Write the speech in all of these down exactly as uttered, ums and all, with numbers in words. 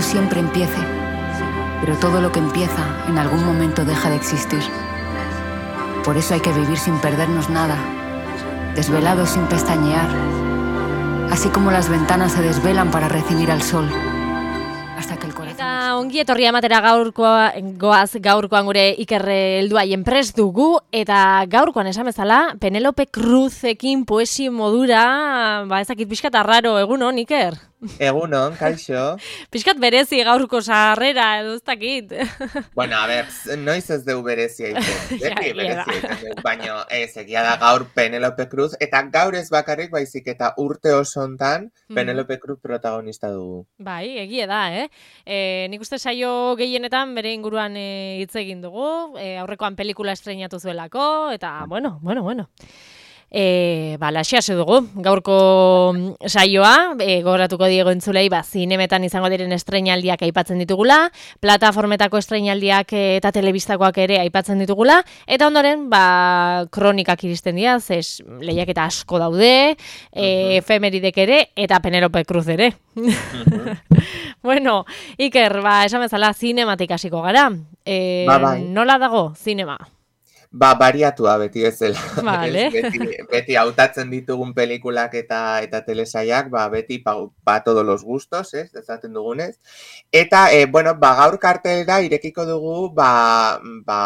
siempre empiece, pero todo lo que empieza en algún momento deja de existir. Por eso hay que vivir sin perdernos nada, desvelados sin pestañear, así como las ventanas se desvelan para recibir al sol. Eta ongi etorri amatera gaurkoa, goaz gaurkoan gure Ikerre helduaien prest dugu, eta gaurkoan esan bezala, Penelope Cruzekin poesi modura, ba ezakit pixkat arraro, egunon, Iker? Egunon, kaixo. Pixkat berezi gaurko sarrera, edo ez dakit. Bueno, a ber, noiz ez deu berezia iten. Beti berezia iten deu, baina ez, egia da gaur Penelope Cruz, eta gaur ez bakarrik baizik eta urte osontan Penelope Cruz protagonista dugu. Bai, egia da, eh? E, nik uste saio gehienetan bere inguruan e, hitz egin dugu, e, aurrekoan pelikula estreinatu zuelako, eta bueno, bueno, bueno. E, ba, laxiase dugu, gaurko saioa, e, gogoratuko diego entzulei, ba, zinemetan izango diren estreinaldiak aipatzen ditugula, plataformetako estreinaldiak eta telebistakoak ere aipatzen ditugula, eta ondoren, ba, kronikak iristen dira, zez, lehiaketa asko daude, e, efemeridek ere, eta Penelope Cruz ere. Bueno, Iker, ba, esan bezala, zinematik hasiko gara. E, ba, bai. Nola dago, zinema? Ba, bariatua beti bezala. Vale. beti, beti hautatzen ditugun pelikulak eta eta telesaiak, ba, beti pa, pa todos los gustos, ez, ezaten dugunez. Eta, e, bueno, ba, gaur kartelera irekiko dugu, ba, ba,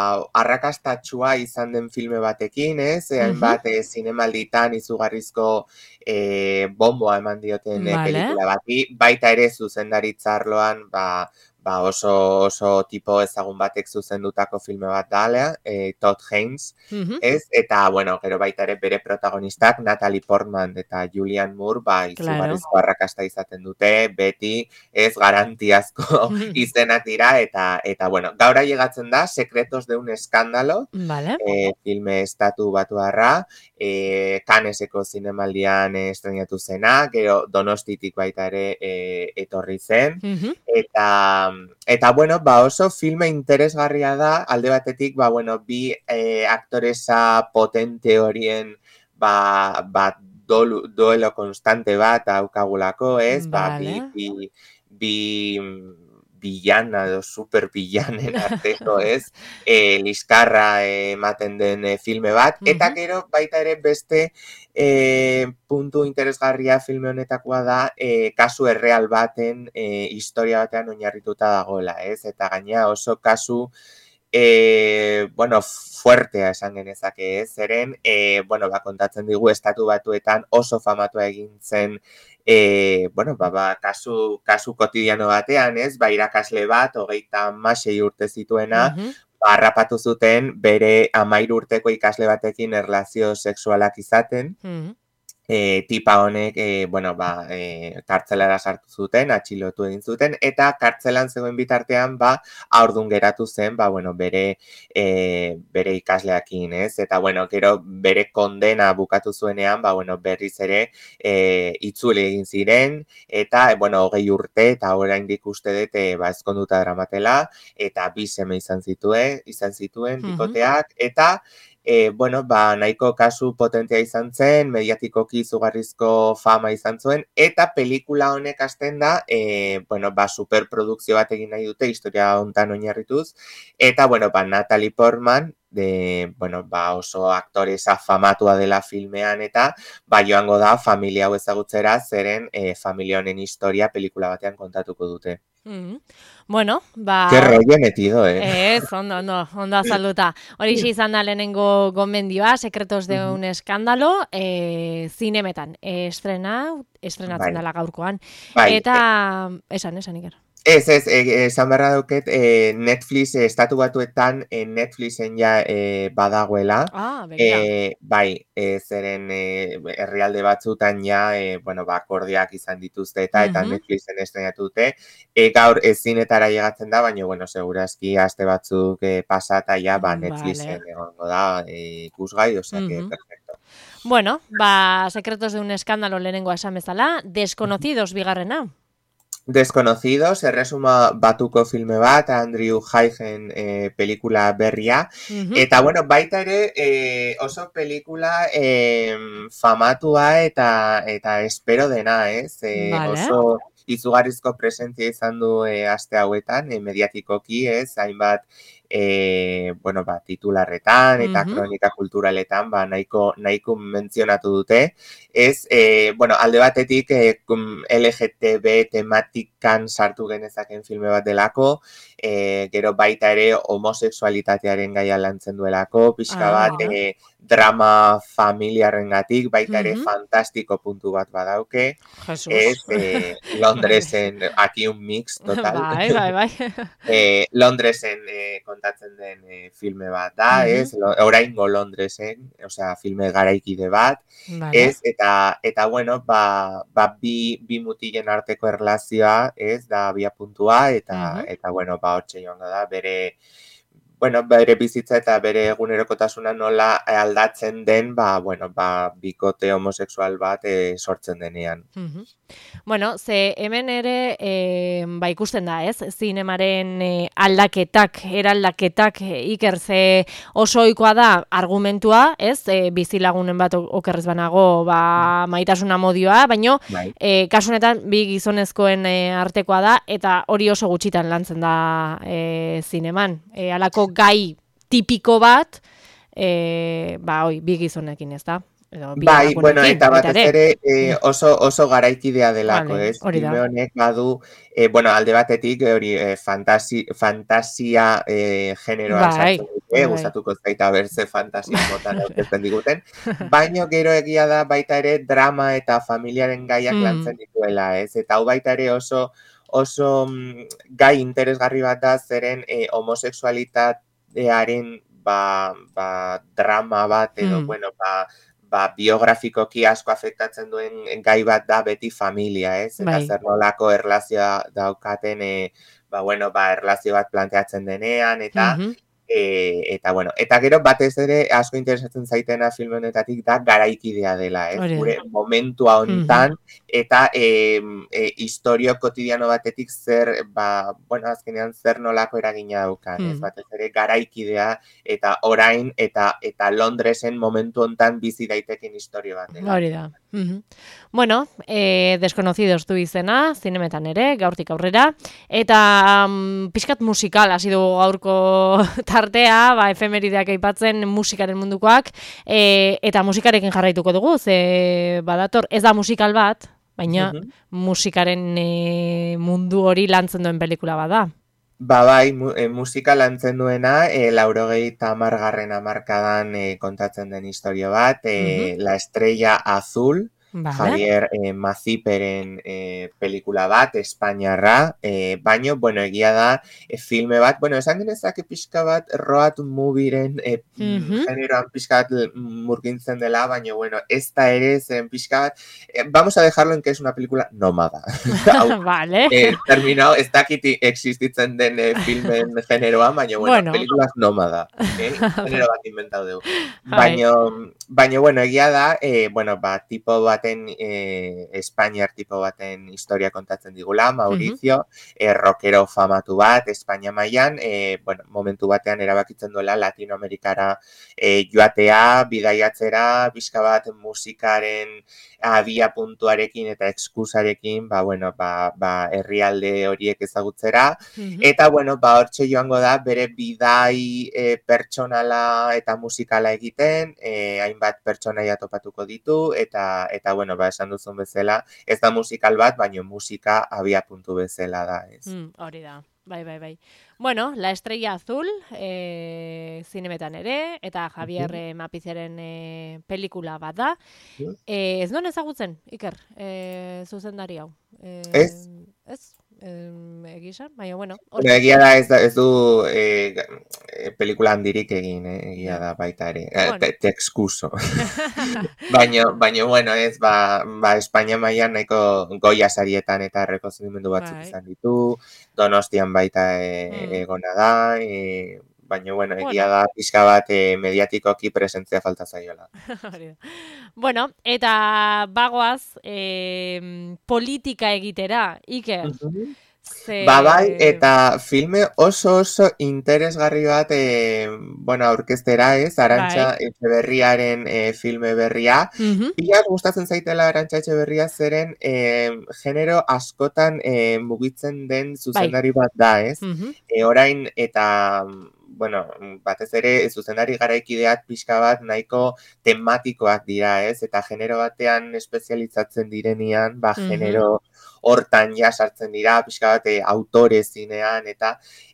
arrakastatxua izan den filme batekin, ez, uh-huh. hainbat e, zinemalditan izugarrizko e, bomboa eman dioten e, vale. pelikula bati, baita ere zuzendaritzarloan, ba, ba oso oso tipo ezagun batek zuzendutako filme bat da, e, Todd Haynes, Uh-huh. ez? Eta, bueno, gero baita ere bere protagonistak, Natalie Portman eta Julianne Moore, ba, izugarrizko arrakasta izaten dute, beti, ez garantiazko izenak dira, eta, eta bueno, gaur llegatzen da, Secretos de un escándalo, vale. e, filme estatu batuarra, e, Canneseko zinemaldian estrenatu zena, gero Donostitik baita ere e, etorri zen, Uh-huh. eta Eta, bueno, ba oso filme interesgarria da, alde batetik, ba, bueno, bi eh, aktoresa potente horien, ba, ba dolu, duelo konstante bat haukagulako, ez? Ba, vale. bi, bi, bi villana edo super villanen arteko, ez? E, liskarra ematen den e, filme bat, uh-huh. eta gero baita ere beste e, puntu interesgarria filme honetakoa da e, kasu erreal baten e, historia batean oinarrituta dagoela, ez? Eta gaina oso kasu E, bueno, fuertea esan genezake, ez? Zeren, e, bueno, ba, kontatzen digu estatu batuetan oso famatua egin zen, e, bueno, ba, ba, kasu, kasu kotidiano batean, ez? Ba, irakasle bat, hogeita hamasei urte zituena, uh-huh. ba, harrapatu zuten bere hamairu urteko ikasle batekin erlazio sexualak izaten, uh-huh. E, tipa honek, e, bueno, ba, e, kartzelara sartu zuten, atxilotu egin zuten, eta kartzelan zegoen bitartean, ba, aurdun geratu zen, ba, bueno, bere, e, bere ikasleakin, ez? Eta, bueno, gero bere kondena bukatu zuenean, ba, bueno, berriz ere e, itzuli egin ziren, eta, e, bueno, hogei urte, eta oraindik uste dut, e, ba, ezkonduta dramatela, eta bi seme izan zituen, izan zituen, bikoteak, uh-huh. eta, E, bueno, ba, nahiko kasu potentea izan zen, mediatikoki izugarrizko fama izan zuen, eta pelikula honek hasten da, e, bueno, ba, superprodukzio bat egin nahi dute, historia hontan oinarrituz, eta, bueno, ba, Natalie Portman, de, bueno, ba, oso aktoresa famatua dela filmean, eta, ba, joango da, familia hau ezagutzera, zeren e, familia honen historia pelikula batean kontatuko dute. Mm-hmm. Bueno, ba... Qué rollo metido, eh? Ez, ondo, ondo, ondo azalduta. Horixe izan da lehenengo gomendioa, Secretos de un escándalo, eh, zinemetan. Estrena, estrenatzen dela gaurkoan. Bai. Eta, esan, esan, Iker. Ez, ez, esan beharra dauket, e, Netflix, e, estatu batuetan, e, Netflixen ja e, badagoela. Ah, begira. E, bai, e, zeren e, herrialde batzutan ja, e, bueno, ba, akordiak izan dituzte eta, uh-huh. eta Netflixen estrenatu dute. E, gaur ezinetara llegatzen da, baina, bueno, segurazki aste batzuk e, pasata ja, ba, Netflixen vale. Egongo da, e, ikusgai, osea, uh-huh. que perfecto. Bueno, ba, Secretos de un escándalo lehenengo esan bezala, Desconocidos bigarrena. Desconocidos, erresuma batuko filme bat, Andrew Hagen e, pelikula berria. Uh-huh. Eta, bueno, baita ere e, oso pelikula e, famatua eta eta espero dena, ez? E, vale. Oso izugarrizko presentzia izan du e, aste hauetan, e, mediatikoki, ez, hainbat e, bueno, ba, titularretan eta Mhm. kronika kulturaletan ba, nahiko, nahiko mentzionatu dute. Ez, e, bueno, alde batetik e, L G T B tematikan sartu genezaken filme bat delako, e, gero baita ere homosexualitatearen gaia lantzen duelako, pixka Ah, bat mira. e, drama familiarrengatik, baita ere Mhm. fantastiko puntu bat badauke. Jesus. Ez, eh, Bai. Londresen, aquí un mix total. Bai, bai, bai. eh, Londresen eh, kontatzen den eh, filme bat da, Mhm. ez? Lo- Oraingo Londresen, osea, filme garaikide bat, Vale. ez? Eta, eta bueno, ba, ba bi, bi mutilen arteko erlazioa, ez? Da abia puntua, eta, Mhm. eta bueno, ba, hortxe joango da, bere, bueno, bere bizitza eta bere egunerokotasuna nola aldatzen den, ba, bueno, ba, bikote homosexual bat eh, sortzen denean. Mhm. Bueno, ze hemen ere e, ba ikusten da, ez? Zinemaren e, aldaketak, eraldaketak e, iker ze oso ohikoa da argumentua, ez? E, bizilagunen bat o- okerrez banago, ba maitasuna modioa, baino Bai. e, kasu honetan bi gizonezkoen e, artekoa da eta hori oso gutxitan lantzen da e, zineman. E, halako gai tipiko bat e, ba hoi bi gizonekin, ez da? Edo bi Bai, bueno, emakumeekin, eta baita batez ere. ere eh, Mm. oso, oso garaikidea delako, Vale, ez? hori da. Filme honek badu, eh, bueno, alde batetik hori eh, fantasi, fantasia eh, generoan Bai, sartzen dute, bai, bai. gustatuko zaita berze fantasia motan aurkezten diguten, baino gero egia da baita ere drama eta familiaren gaiak Hmm. lantzen dituela, ez? Eta hau baita ere oso oso mm, gai interesgarri bat da zeren eh, homosexualitatearen ba, ba, drama bat edo, Hmm. bueno, ba, ba, biografikoki asko afektatzen duen gai bat da beti familia, ez? Eta Bai. zer nolako erlazioa daukaten, e, ba, bueno, ba, erlazio bat planteatzen denean, eta, Mhm. e, eta, bueno, eta gero batez ere asko interesatzen zaitena filme honetatik da garaikidea dela, ez? Hori da. Gure momentua hontan, eta e, e, historio kotidiano batetik zer, ba, bueno, azkenean zer nolako eragina daukan, ez? Hmm. Batez ere garaikidea eta orain eta eta Londresen momentu hontan bizi daiteken historia bat dela. Hori da. Mhm. Bueno, eh, Desconocidos du izena, zinemetan ere, gaurtik aurrera. Eta um, pixkat musikal hasi dugu gaurko tartea, ba, efemerideak aipatzen musikaren mundukoak, e, eta musikarekin jarraituko dugu, ze badator, ez da musikal bat, baina Mhm. musikaren e, mundu hori lantzen duen pelikula bada. Ba bai, mu, e, musika lantzen duena, e, laurogeita hamargarren hamarkadan e, kontatzen den historia bat, e, La Estrella Azul, Vale. Javier e, Maziperen e, pelikula bat, Espainiarra, e, baino, bueno, egia da, e, filme bat, bueno, esan genezake pixka bat road movieren e, Mhm. generoan pixka bat murgintzen dela, baino, bueno, ez da ere zen pixka bat, e, vamos a dejarlo en que es una película nómada. Hau, Vale. eh, terminado, ez dakit existitzen den eh, filmen generoan, baina, bueno, Bueno. películas nómada, eh? Genero bat inventau dugu. Bai. Baina, baina, bueno, egia da, eh, bueno, ba, tipo baten, eh, Espainiar tipo baten historia kontatzen digula, Mauricio, eh, rockero famatu bat, Espainia mailan, eh, bueno, momentu batean erabakitzen duela Latinoamerikara eh, joatea, bidaiatzera, bizka bat musikaren abia puntuarekin eta exkusarekin, ba, bueno, ba, ba, herrialde horiek ezagutzera, Mhm. eta, bueno, ba, hortxe joango da, bere bidai e, pertsonala eta musikala egiten, e, hainbat pertsonaia topatuko ditu, eta, eta, bueno, ba, esan duzun bezala, ez da musikal bat, baina musika abia puntu bezala da, ez. Mm, hori da. Bai, bai, bai. Bueno, La Estrella Azul, e, zinemetan ere, eta Javier Mhm. eh, Mapizeren e, pelikula bat da. Mhm. E, ez non ezagutzen, Iker, e, zuzendari hau. E, Ez. Ez, e, egisa, baina, bueno. Bueno, egia da ez, da, ez du eh, eh, pelikula handirik egin, eh, egia Ja. da baita ere. Bueno. Eh, te, te excuso. baina, baina, bueno, ez, ba, ba Espainia mailan nahiko goia sarietan eta errekonozimendu batzuk Bai. izan ditu, Donostian baita e, Mm. egona da, e, baina, bueno, egia Bueno. da pixka bat e, mediatikoki presentzia falta zaiola. Hori da. Bueno, eta bagoaz, e, politika egitera, Iker. Mhm. Ze... Ba bai, eta filme oso oso interesgarri bat, e, bueno, aurkeztera ez, Arantxa bai. Etxeberriaren e, filme berria. Uh-huh. Pila gustatzen zaitela Arantxa Etxeberria zeren e, genero askotan e, mugitzen den zuzendari bat da, ez? Uh-huh. E, orain eta, bueno, batez ere zuzendari garaikideak pixka bat nahiko tematikoak dira, ez? Eta genero batean espezializatzen direnean, ba, Uh-huh. genero hortan ja sartzen dira, pixka bat autore zinean, eta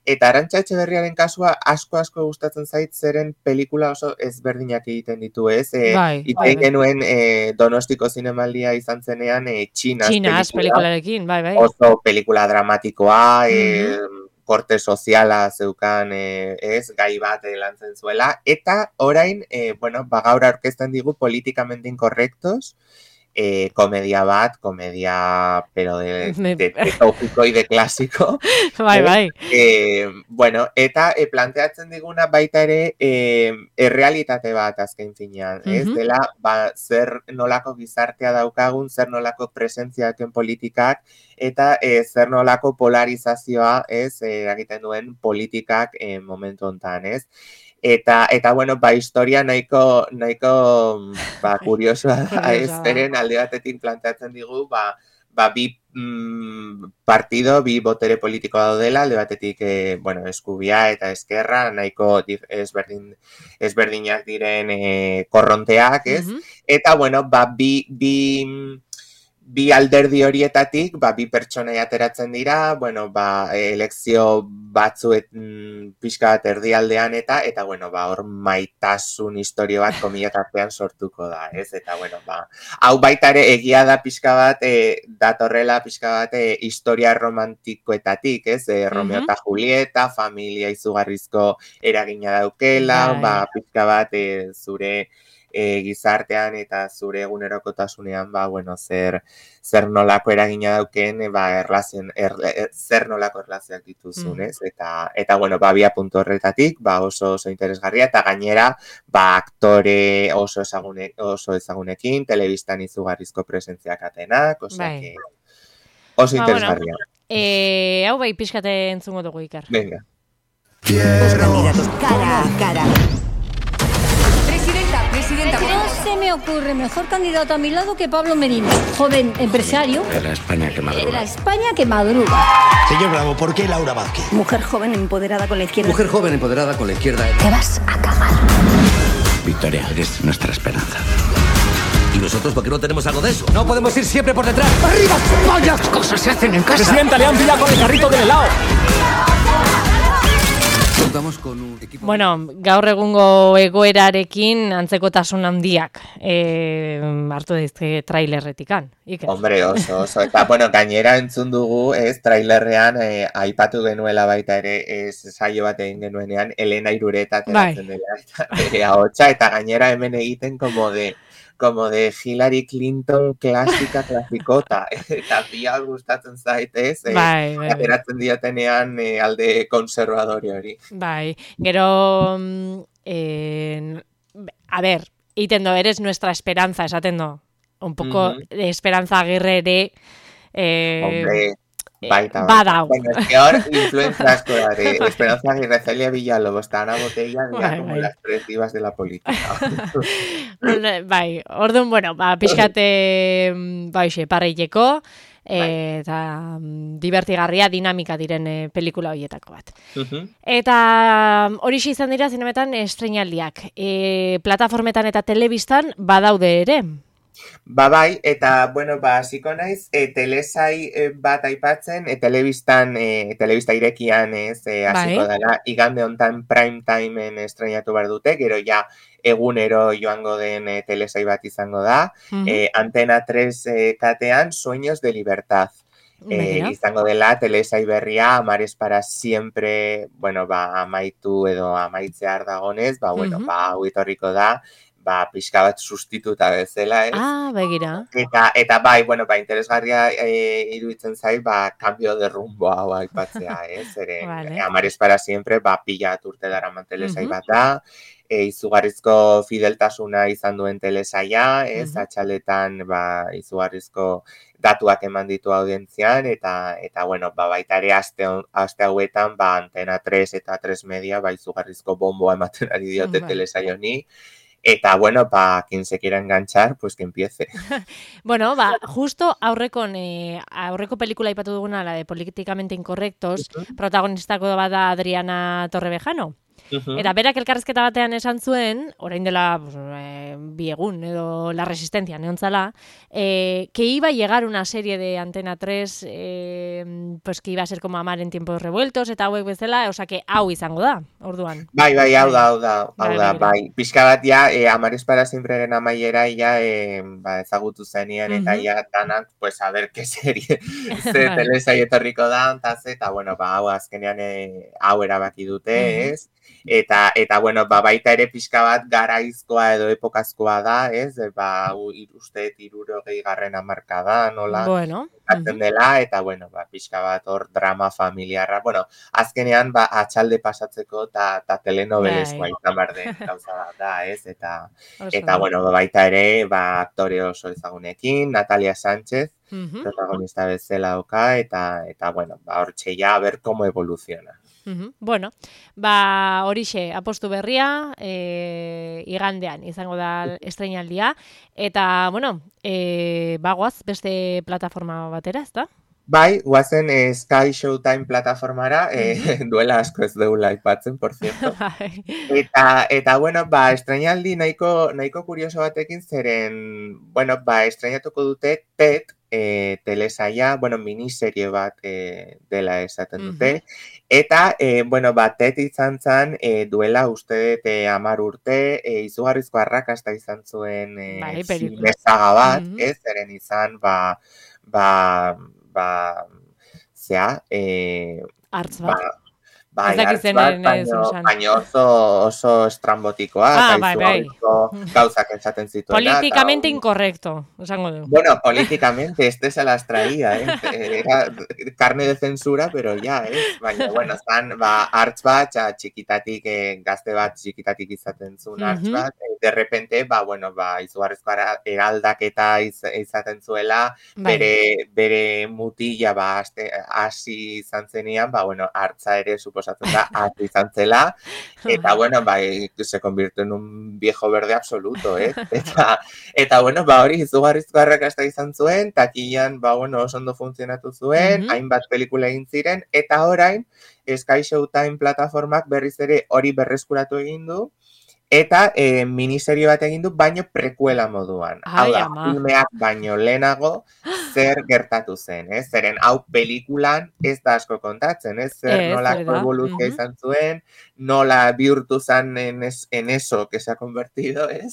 eta Arantxa Etxeberriaren kasua asko-asko gustatzen zait zeren pelikula oso ezberdinak egiten ditu, ez? E, bai, bai, bai. genuen e, Donostiko zinemaldia izan zenean e, Txinas, Txinas pelikula, pelikularekin, bai, bai. oso pelikula dramatikoa, Uh-huh. e, korte soziala zeukan e, ez, gai bat e, lantzen zuela, eta orain, e, bueno, ba, gaur aurkezten digu politikamente incorrectos, Eh, komedia bat, komedia, pero de, de, de tópico y de clásico. Bai, bai. Eh, bueno, eta eh, planteatzen diguna baita ere eh, errealitate bat azken finean, ez? Uh-huh. Dela, ba, zer nolako gizartea daukagun, zer nolako presentziaken politikak, eta eh, zer nolako polarizazioa, ez, eh, egiten duen politikak eh, momentu hontan, ez? Eta, eta bueno, ba, historia nahiko, nahiko, ba, kuriosoa da, ez, zeren alde batetik planteatzen digu, ba, ba bi mm, partido, bi botere politiko daudela, alde batetik, eh, bueno, eskubia eta eskerra, nahiko ezberdin, ezberdinak diren eh, korronteak, ez? Uh-huh. Eta, bueno, ba, bi, bi, bi alderdi horietatik, ba, bi pertsonai ateratzen dira, bueno, ba, elekzio batzuet mm, pixka bat erdialdean eta, eta, bueno, ba, hor maitasun historio bat komilatartean sortuko da, ez? Eta, bueno, ba, hau baita ere egia da pixka bat, e, datorrela pixka bat e, historia romantikoetatik, ez? E, Romeo eta uh-huh. Julieta, familia izugarrizko eragina daukela, Dai. Ba, pixka bat e, zure E, gizartean eta zure egunerokotasunean, ba, bueno, zer, zer nolako eragina dauken, ba, erlazien, er, er, zer nolako erlazioak dituzun, ez? Mm. Eta, eta, bueno, ba, bia puntu horretatik, ba, oso oso interesgarria, eta gainera, ba, aktore oso, ezagune, oso ezagunekin, telebistan izugarrizko presentziak atenak, osea, bai. Oso ba, interesgarria. Bueno, e, hau bai, pixkate entzungo dugu, Iker. Venga. Candidatos cara a cara. Presidenta, no se me ocurre mejor candidato a mi lado que Pablo Merino, joven empresario. De la España que madruga. De la España que madruga. Señor Bravo, ¿por qué Laura Vázquez? Mujer joven empoderada con la izquierda. Mujer joven empoderada con la izquierda. Te vas a cagar. Victoria, eres nuestra esperanza. ¿Y nosotros por qué no tenemos algo de eso? No podemos ir siempre por detrás. ¡Arriba, España! Las cosas se hacen en casa. Presidenta, le han pillado con el carrito del helado. Con un equipo... Bueno, gaur egungo egoerarekin antzekotasun handiak e, hartu dizke trailerretikan. Iker. Hombre, oso, oso. Eta, bueno, gainera entzun dugu, ez, trailerrean eh, aipatu genuela baita ere, ez, saio bat egin genuenean, Elena Irureta teratzen bai. Dela, eta bere ahotsa, eta gainera hemen egiten como de... como de Hillary Clinton klasika klasikota, eta bia gustatzen zaitez, eh, bai, bai, ateratzen diotenean eh, alde konservadori hori. Bai, gero, eh, a ver, itendo, eres nuestra esperanza, esaten do, un poco uh-huh. de Esperanza Aguirre ere, eh, Hombre, baita, badau. Bueno, es que ahora influencia asko da, de Esperanza Aguirre, Celia Villalobos, está una botella, dira, bai, como bai. Las tres divas de la política. Bai, orduan, bueno, ba, pixkate, ba, hoxe, parreileko, e, eta divertigarria, dinamika diren e, pelikula horietako bat. Uh-huh. Eta hori izan dira zinemetan estreinaldiak. E, plataformetan eta telebistan badaude ere. Ba bai, eta, bueno, ba, hasiko naiz, e, telesai e, bat aipatzen, e, telebistan, e, telebista irekian ez, e, hasiko bai. Dela, igande hontan prime timeen estrenatu behar dute, gero ja egunero joango den e, telesai bat izango da, uh-huh. e, Antena tres e, katean, Sueños de Libertad. E, izango dela, telesai berria, Amares para siempre, bueno, ba, amaitu edo amaitzear dagonez, ba, bueno, uh-huh. ba, huitorriko da, ba, pixka bat sustituta bezala, ez? Ah, begira. Eta, eta bai, bueno, ba, interesgarria e, iruditzen zait, ba, cambio de rumbo hau aipatzea, ez? Zeren, Vale. Amares para siempre, ba, pila bat urte daraman telesai Mhm. bat da, e, izugarrizko fideltasuna izan duen telesaia, ez? Mhm. Atxaletan, ba, izugarrizko datuak eman ditu audientzian, eta, eta bueno, ba, baita ere aste, hon- aste hauetan, ba, Antena tres eta tres Media, ba, izugarrizko bomboa ematen ari diote Bai. telesai honi, eta, bueno, pa, quien se quiera enganchar, pues que empiece. Bueno, ba, justo aurrekon, eh, aurreko pelikula aipatu duguna, la de Políticamente Incorrectos, protagonistako bat da Adriana Torrevejano. Ujú. Eta berak elkarrezketa batean esan zuen, orain dela pues, eh, bi egun edo La Resistencia neontzala, eh, que iba a llegar una serie de Antena tres, eh, pues que iba a ser como Amar en tiempos revueltos, eta hauek bezala, osea que hau izango da, orduan. Bai, bai, hau da, hau da, hau Bai, da, begira. bai. Pixka bat ja, e, Amares para Siempreren amaiera ja, e, ba, ezagutu zenien, eta Mhm. ja, danak, pues, a ver, qué serie, ze Bai. telesai etorriko da, eta ze, eta, bueno, ba, hau azkenean e, hau erabaki dute, Mhm. ez? Eta, eta, bueno, ba, baita ere pixka bat garaizkoa edo epokazkoa da, ez? E, ba, u- ir- uste hirurogei garren hamarkada, nola, Bueno. hartzen Mhm. dela, eta, bueno, ba, pixka bat hor drama familiarra, bueno, azkenean, ba, atxalde pasatzeko eta ta telenovelezkoa Bai. izan behar den gauza bat da, ez? Eta, Oso eta ondo. bueno, baita ere, ba, aktore oso ezagunekin, Natalia Sánchez, Mhm. protagonista bezala dauka, eta, eta bueno, ba, hortxe ja, a ver cómo evoluciona. Mhm. Bueno, ba horixe, apostu berria, e, igandean izango da estreinaldia, eta, bueno, e, bagoaz beste plataforma batera, ezta? Bai, guazen eh, Sky Showtime plataformara, eh, duela asko ez deula aipatzen, por cierto. Bai. Eta, eta bueno, ba, estreinaldi nahiko, nahiko kurioso batekin zeren, bueno, ba, estreinatuko dute Ted, e, telesaia, bueno, miniserie bat e, dela esaten dute. Eta, e, bueno, ba, Ted izan zen e, duela uste dut e, amar urte, e, izugarrizko arrakasta izan zuen e, Bai, filme pelikula. saga bat, Mhm. ez, zeren izan, ba, ba, ba, zea, e, Hartz ba, bat. bai, Ez dakit hartz bat, zenaren ez baino, esan. baino oso, oso estrambotikoa, Ah, eta bai, bai. izugarrizko gauzak esaten zituena. eta Políticamente hori- incorrecto, esango du. Bueno, políticamente, este se las traía, ¿eh? Era carne de censura, pero ya, ¿eh? Baina, bueno, zan, ba, hartz bat, ja, txikitatik, eh, gazte bat txikitatik izaten zuen hartz Mhm. bat, eh, de repente, ba, bueno, ba, izugarrizko ara- eraldaketa iz, izaten zuela, Bai. bere, bere mutila, ba, aste- hasi izan zenean, ba, bueno, hartza ere suposatzen da, hasi izan zela, eta, bueno, ba, eh, se convirtió en un viejo verde absoluto, ¿eh? Eta, eta, bueno, ba, hori izugarrizko arrakasta izan zuen, takilan, ba, bueno, oso ondo funtzionatu zuen, Mhm. hainbat pelikula egin ziren, eta orain, Sky Showtime plataformak berriz ere hori berreskuratu egin du, eta e, miniserie bat egin du, baino prekuela moduan. Hau Ai, da, ama. filmeak baino lehenago zer gertatu zen, ez? Zeren hau pelikulan ez da asko kontatzen, ez? Zer Ez, hori nolako da. evoluzioa Mhm. izan zuen, nola bihurtu zen en, es, en eso que se ha convertido, ez?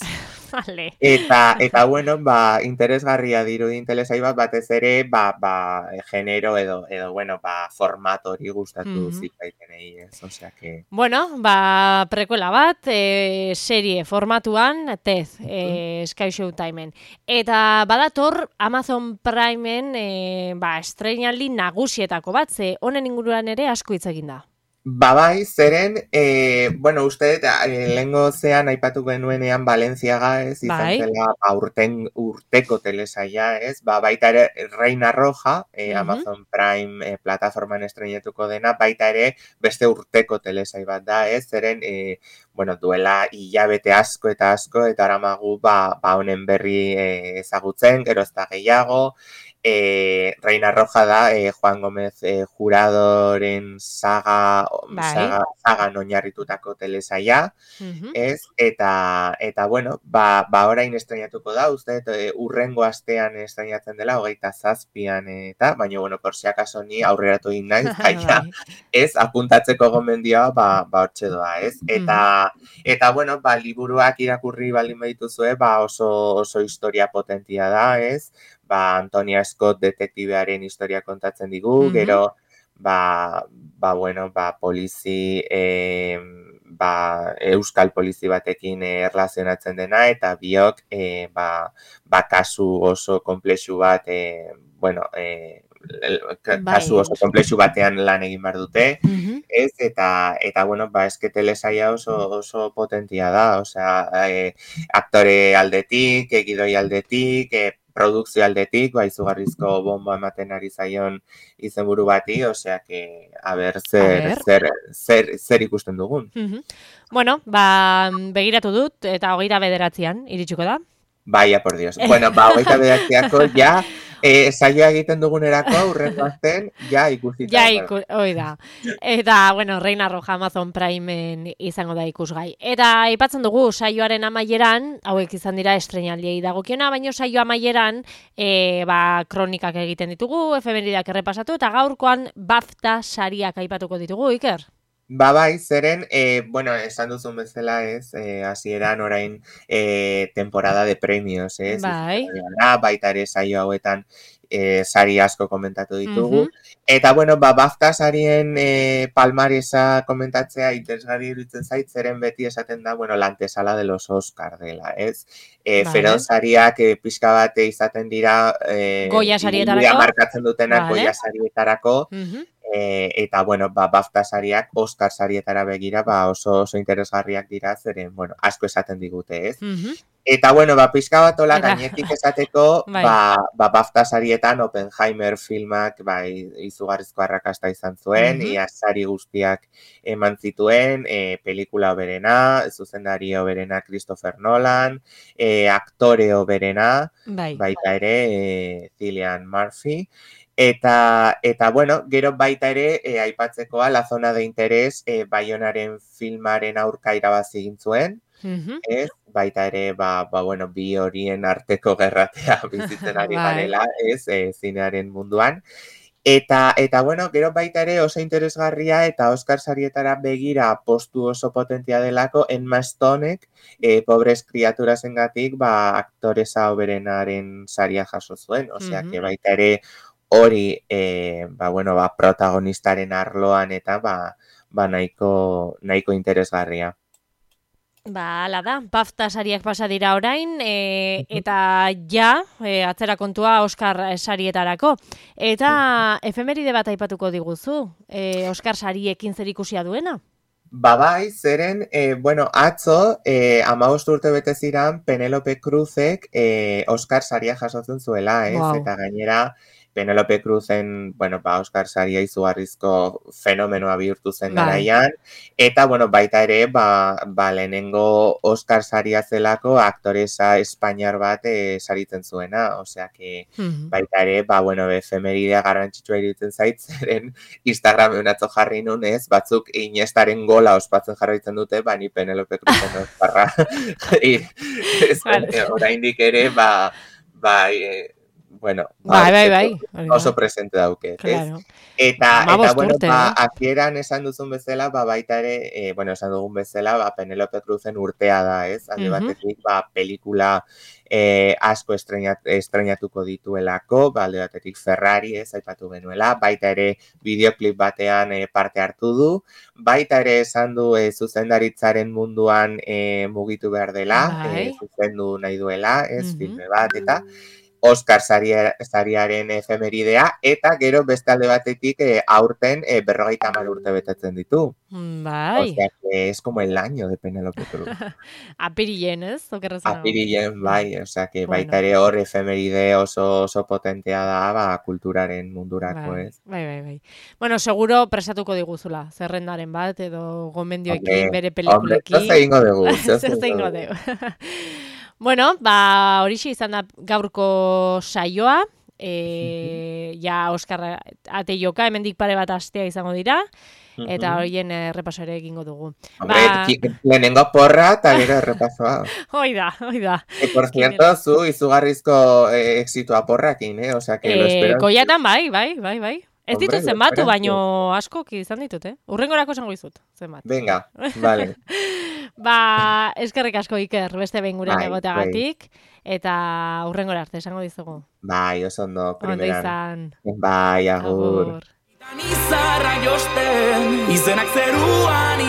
Vale. Eta, eta bueno, ba, interesgarria dirudi telesai bat, batez ere, ba, ba, genero edo, edo, bueno, ba, formato hori gustatu Mhm. zitzaitenei, ez? Osea que... Bueno, ba, prekuela bat, e, serie formatuan, tez, e, Sky Showtimeen. Eta badator Amazon Primeen e, ba, estreinaldi nagusietako bat, ze honen inguruan ere asko hitz egin da. Ba bai, zeren, e, bueno, uste, e, lehengo zean aipatu genuenean Valentziaga, ez, izan Bai. zela ba, urten, urteko telesaia, ez, ba, baita ere Reina Roja, e, Mhm. Amazon Prime e, plataforman estreinetuko dena, baita ere beste urteko telesai bat da, ez, zeren, e, bueno, duela hilabete asko eta asko, eta aramagu, ba, ba honen berri e, ezagutzen, gero ez da gehiago, E, Reina Roja da e, Juan Gómez e, Juradoren saga, Bai. saga, sagan oinarritutako telesaia, Mhm. ez? Eta, eta bueno, ba, ba orain estreinatuko da, uste, e, urrengo astean estreinatzen dela, hogeita zazpian eta, baina, bueno, por si acaso ni aurreratu egin naiz, baina, Bai. ez, apuntatzeko gomendioa, ba, ba hortxe doa, ez? Eta, eta, bueno, ba, liburuak irakurri baldin badituzue, ba, oso, oso historia potentia da, ez? Ba, Antonia Scott detektibearen historia kontatzen digu, Mhm. gero, ba, ba bueno, ba, polizi, e, ba, euskal polizi batekin e, erlazionatzen dena, eta biok, e, ba, ba, kasu oso komplexu bat, e, bueno, e, kasu oso komplexu batean lan egin behar dute, ez, eta, eta bueno, ba, eske telesaia oso, oso potentia da, osea, e, aktore aldetik, egidoi aldetik, e, produkzio aldetik, ba, izugarrizko bomba ematen ari zaion izenburu bati, osea, que, a ber, zer, a zer, zer, zer ikusten dugun. Bueno, ba, begiratu dut, eta hogeita bederatzean iritsiko da. Baia, por Dios. Bueno, ba, hogeita bederatzeako, ja, E, saioa egiten dugunerako aurrengo azten, ja ikusita. Ja iku, oi da. Eta, bueno, Reina Roja Amazon Primeen izango da ikusgai. Eta aipatzen dugu saioaren amaieran, hauek izan dira estrenaldiei dagokiona, baina saio amaieran e, ba, kronikak egiten ditugu, efemeridak errepasatu, eta gaurkoan BAFTA sariak aipatuko ditugu, Iker? Ba bai, zeren, e, bueno, esan duzun bezala ez, e, hasieran orain e, temporada de premios, ez? Bai. Baita ere saio hauetan e, sari asko komentatu ditugu. Uh-huh. Eta, bueno, ba, BAFTA sarien e, palmaresa komentatzea interesgarri iruditzen zait, zeren beti esaten da, bueno, la antesala de los Oscar dela, ez? E, vale. Feroz sariak e, pixka bate izaten dira e, Goya sarietarako. Markatzen dutenak vale. Goya sarietarako. Uh-huh. E, eta, bueno, ba, BAFTA sariak Oscar sarietara begira, ba, oso, oso interesgarriak dira, zeren, bueno, asko esaten digute, ez? Uh-huh. Eta, bueno, ba, pixka bat ola gainetik esateko, bai. ba, ba, BAFTA sarietan Oppenheimer filmak, ba, izugarrizko arrakasta izan zuen, uh-huh. ia sari guztiak eman zituen, e, pelikula oberena, zuzendari oberena Christopher Nolan, e, aktore oberena, bai. baita ere, e, Cillian Murphy, Eta, eta, bueno, gero baita ere, e, aipatzekoa, La Zona de Interes, e, Baionaren filmaren aurka irabazi egin zuen, uh-huh. ez? Baita ere, ba, ba, bueno, bi horien arteko gerratea bizitzen ari garela, ez, e, zinearen munduan. Eta, eta, bueno, gero baita ere oso interesgarria eta Oscar sarietara begira postu oso potentia delako, Emma Stonek, e, pobres kriaturasengatik, ba, aktoresa oberenaren saria jaso zuen, osea, uh-huh. que baita ere, hori, e, ba, bueno, ba, protagonistaren arloan eta ba, ba nahiko, nahiko interesgarria. Ba, ala da, BAFTA sariak pasa dira orain, e, eta ja, e, atzera kontua Oscar sarietarako. Eta efemeride bat aipatuko diguzu, e, Oscar sariekin zer ikusia duena? Ba bai, zeren, e, bueno, atzo, e, hamabost urte bete ziran, Penélope Cruzek e, Oscar saria jasotzen zuela, ez? Wow. Eta gainera, Penélope Cruzen, bueno, ba, Oscar saria izugarrizko fenomenoa bihurtu zen garaian, eta, bueno, baita ere, ba, ba lehenengo Oscar saria zelako aktoresa espainiar bat e, saritzen zuena, osea, que uh-huh. baita ere, ba, bueno, efemeridea garrantzitsua iruditzen zait, zeren Instagramen atzo jarri nun, ez, batzuk Iniestaren gola ospatzen jarraitzen dute, ba, ni Penélope Cruzen osparra. Oraindik ere, ba, ba, e, bueno, bai, bai, bai. oso presente dauke, claro. ez? Eta, eta bueno, urte, ba, eh? akieran esan duzun bezala, ba, baita ere, e, bueno, esan dugun bezala, ba, Penélope Cruzen urtea da, ez? Alde uh-huh. batetik, ba, pelikula e, asko estrenat, estrenatuko dituelako, ba, alde batetik Ferrari, ez, aipatu genuela, baita ere bideoklip batean e, parte hartu du, baita ere esan du e, zuzendaritzaren munduan e, mugitu behar dela, e, zuzendu nahi duela, ez, uh-huh. filme bat, eta Oscar sariaren efemeridea, eta gero beste alde batetik e, aurten e, berrogeita hamar urte betetzen ditu. Bai. O sea, que es como el año de Penélope Cruz. Apirilen, ez? Apirilen, bai. O sea, que baita ere hor efemeride oso, oso potentea da, ba, kulturaren mundurako, ez? Bai, bai, bai. Bueno, seguro presatuko diguzula, zerrendaren bat, edo gomendioekin, bere pelikulekin. Hombre, ez egingo dugu. Ez egingo dugu. Bueno, ba, horixe izan da gaurko saioa, e, ja Oskar ateioka, hemendik pare bat astea izango dira, eta horien errepaso ere egingo dugu. Hombre, ba... lehenengo porra eta gero errepasoa. Hoi da, hoi da. E, por cierto, zu izugarrizko eh, exitoa porrakin, eh? O sea, que eh, lo espero. Goiatan bai, bai, bai, bai. Ez ditut zenbatu, baino asko izan ditut, eh? Urrengorako esango dizut, zenbat. Venga, vale. Ba, eskerrik asko Iker, beste behin gurean egoteagatik, eta urrengora arte esango dizugu. Bai, oso ondo, primeran. Ondo izan. Bai, agur. agur. izarra josten, izenak zeruan